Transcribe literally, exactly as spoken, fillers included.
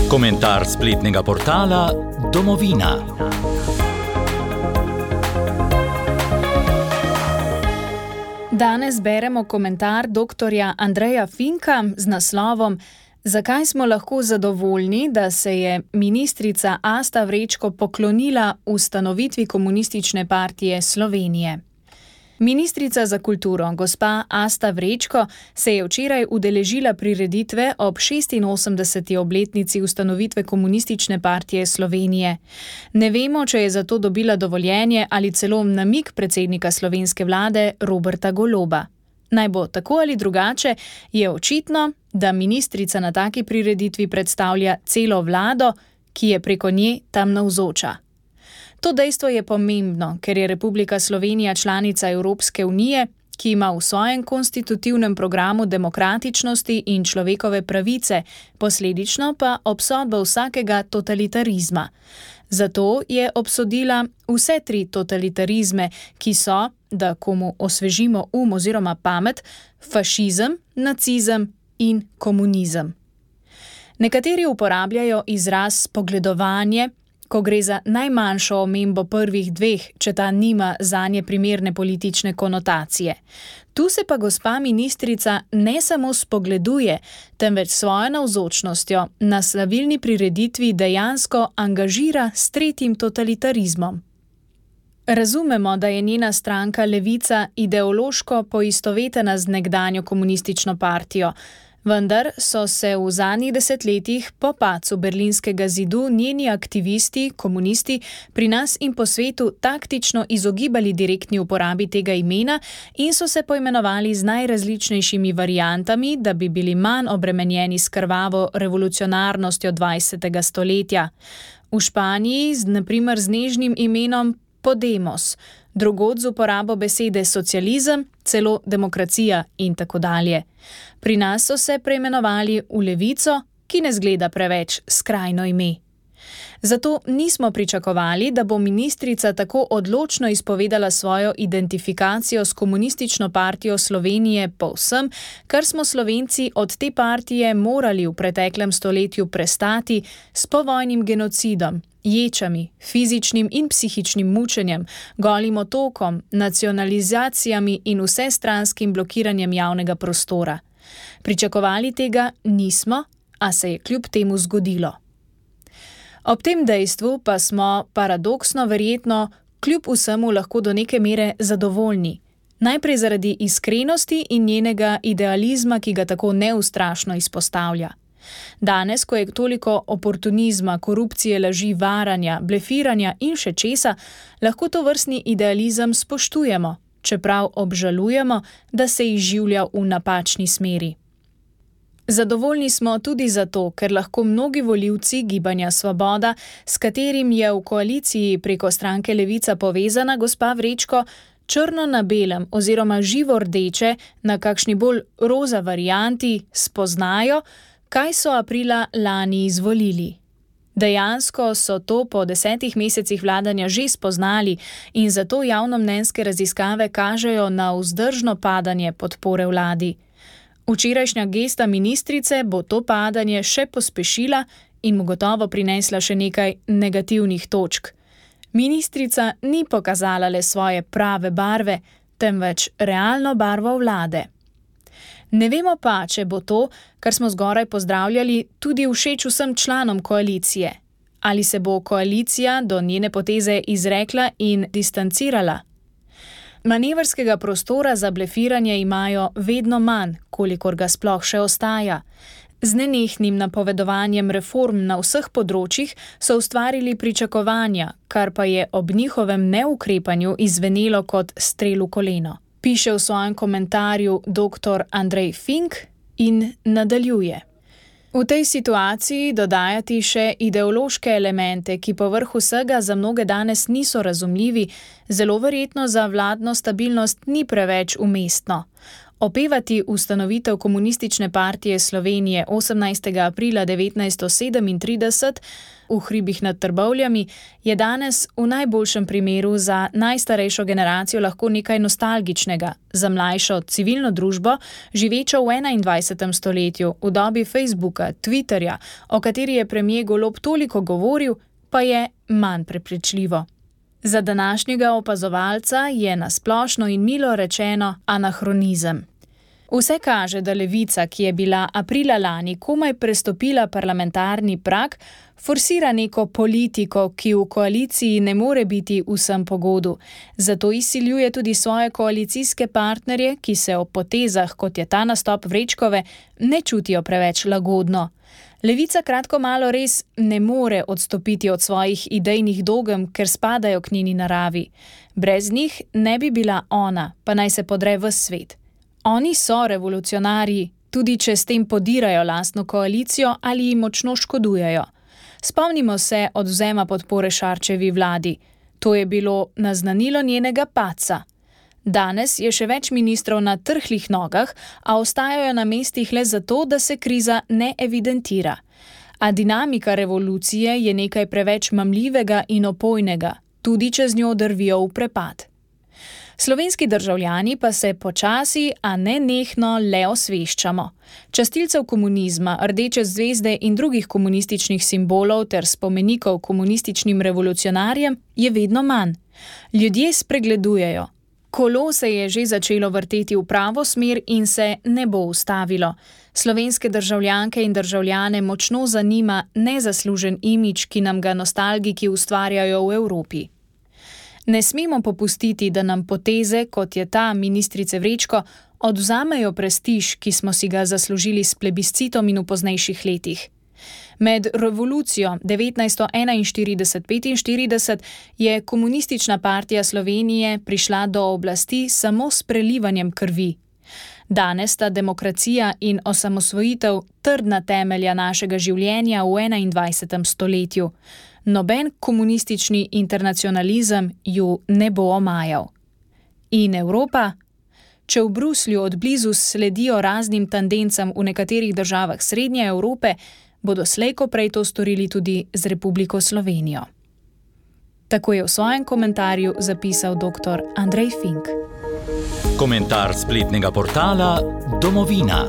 Komentar spletnega portala Domovina. Danes beremo komentar doktorja Andreja Finka z naslovom Zakaj smo lahko zadovoljni, da se je ministrica Asta Vrečko poklonila ustanovitvi Komunistične partije Slovenije. Ministrica za kulturo, gospa Asta Vrečko, se je včeraj udeležila prireditve ob šestinosemdeseti obletnici ustanovitve Komunistične partije Slovenije. Ne vemo, če je za to dobila dovoljenje ali celo namig predsednika slovenske vlade Roberta Goloba. Naj bo tako ali drugače, je očitno, da ministrica na taki prireditvi predstavlja celo vlado, ki je preko nje tam navzoča. To dejstvo je pomembno, ker je Republika Slovenija članica Evropske unije, ki ima v svojem konstitutivnem programu demokratičnosti in človekove pravice, posledično pa obsodba vsakega totalitarizma. Zato je obsodila vse tri totalitarizme, ki so, da komu osvežimo um oziroma pamet, fašizem, nacizem in komunizem. Nekateri uporabljajo izraz spogledovanje, ko gre za najmanjšo omembo prvih dveh, če ta nima zanje primerne politične konotacije. Tu se pa gospa ministrica ne samo spogleduje, temveč svojo navzočnostjo na slavilni prireditvi dejansko angažira s tretjim totalitarizmom. Razumemo, da je njena stranka Levica ideološko poistovetena z nekdanjo komunistično partijo, vendar so se v zadnjih desetletjih po padcu berlinskega zidu njeni aktivisti, komunisti, pri nas in po svetu taktično izogibali direktni uporabi tega imena in so se poimenovali z najrazličnejšimi variantami, da bi bili manj obremenjeni s krvavo revolucionarnostjo dvajsetega stoletja. V Španiji z, na primer, z nežnim imenom Podemos, drugod z uporabo besede socializem, celo demokracija in tako dalje. Pri nas so se preimenovali v Levico, ki ne zgleda preveč skrajno ime. Zato nismo pričakovali, da bo ministrica tako odločno izpovedala svojo identifikacijo s Komunistično partijo Slovenije po vsem, kar smo Slovenci od te partije morali v preteklem stoletju prestati s povojnim genocidom, ječami, fizičnim in psihičnim mučenjem, golim otokom, nacionalizacijami in vsestranskim blokiranjem javnega prostora. Pričakovali tega nismo, a se je kljub temu zgodilo. Ob tem dejstvu pa smo, paradoksno verjetno, kljub vsemu lahko do neke mere zadovoljni. Najprej zaradi iskrenosti in njenega idealizma, ki ga tako neustrašno izpostavlja. Danes, ko je toliko oportunizma, korupcije, laži, varanja, blefiranja in še česa, lahko to vrstni idealizem spoštujemo, čeprav obžalujemo, da se izživlja v napačni smeri. Zadovoljni smo tudi zato, ker lahko mnogi volivci Gibanja Svoboda, s katerim je v koaliciji preko stranke Levica povezana gospa Vrečko, črno na belem oziroma živo rdeče na kakšni bolj roza varianti spoznajo, kaj so aprila lani izvolili. Dejansko so to po desetih mesecih vladanja že spoznali in zato javnomnenjske raziskave kažejo na vzdržno padanje podpore vladi. Včerajšnja gesta ministrice bo to padanje še pospešila in mu gotovo prinesla še nekaj negativnih točk. Ministrica ni pokazala le svoje prave barve, temveč realno barvo vlade. Ne vemo pa, če bo to, kar smo zgoraj pozdravljali, tudi všeč vsem članom koalicije. Ali se bo koalicija do njene poteze izrekla in distancirala? Manevrskega prostora za blefiranje imajo vedno manj, kolikor ga sploh še ostaja. Z nenehnim napovedovanjem reform na vseh področjih so ustvarili pričakovanja, kar pa je ob njihovem neukrepanju izvenelo kot strel v koleno. Piše v svojem komentarju doktor Andrej Fink in nadaljuje. V tej situaciji dodajati še ideološke elemente, ki povrh vsega za mnoge danes niso razumljivi, zelo verjetno za vladno stabilnost ni preveč umestno. Opevati ustanovitev Komunistične partije Slovenije osemnajstega aprila devetnajststo sedemintrideset v hribih nad Trbovljami je danes v najboljšem primeru za najstarejšo generacijo lahko nekaj nostalgičnega, za mlajšo civilno družbo, živečo v enaindvajsetem stoletju, v dobi Facebooka, Twitterja, o kateri je premier Golob toliko govoril, pa je manj prepričljivo. Za današnjega opazovalca je na splošno in milo rečeno anahronizem. Vse kaže, da Levica, ki je bila aprila lani komaj prestopila parlamentarni prag, forsira neko politiko, ki v koaliciji ne more biti vsem po godu. Zato izsiljuje tudi svoje koalicijske partnerje, ki se ob potezah, kot je ta nastop Vrečkove, ne čutijo preveč lagodno. Levica kratko malo res ne more odstopiti od svojih idejnih dogem, ker spadajo k njeni naravi. Brez njih ne bi bila ona, pa naj se podre ves svet. Oni so revolucionarji, tudi če s tem podirajo lastno koalicijo ali jim močno škodujejo. Spomnimo se odvzema podpore Šarčevi vladi. To je bilo naznanilo njenega padca. Danes je še več ministrov na trhlih nogah, a ostajajo na mestih le zato, da se kriza ne evidentira. A dinamika revolucije je nekaj preveč mamljivega in opojnega, tudi če z njo drvijo v prepad. Slovenski državljani pa se počasi, a ne nehno le osveščamo. Častilcev komunizma, rdeče zvezde in drugih komunističnih simbolov ter spomenikov komunističnim revolucionarjem je vedno manj. Ljudje spregledujejo. Kolo se je že začelo vrteti v pravo smer in se ne bo ustavilo. Slovenske državljanke in državljane močno zanima nezaslužen imidž, ki nam ga nostalgiki ustvarjajo v Evropi. Ne smemo popustiti, da nam poteze, kot je ta ministrice Vrečko, odvzamejo prestiž, ki smo si ga zaslužili s plebiscitom in v poznejših letih. Med revolucijo devetnajststo enainštirideset petinštirideset je Komunistična partija Slovenije prišla do oblasti samo s prelivanjem krvi. Danes sta demokracija in osamosvojitev trdna temelja našega življenja v enaindvajsetem stoletju. Noben komunistični internacionalizem ju ne bo omajal. In Evropa? Če v Bruslju od blizu sledijo raznim tendencam v nekaterih državah Srednje Evrope, bodo slej ko prej to storili tudi z Republiko Slovenijo. Tako je v svojem komentarju zapisal doktor Andrej Fink. Komentar spletnega portala Domovina.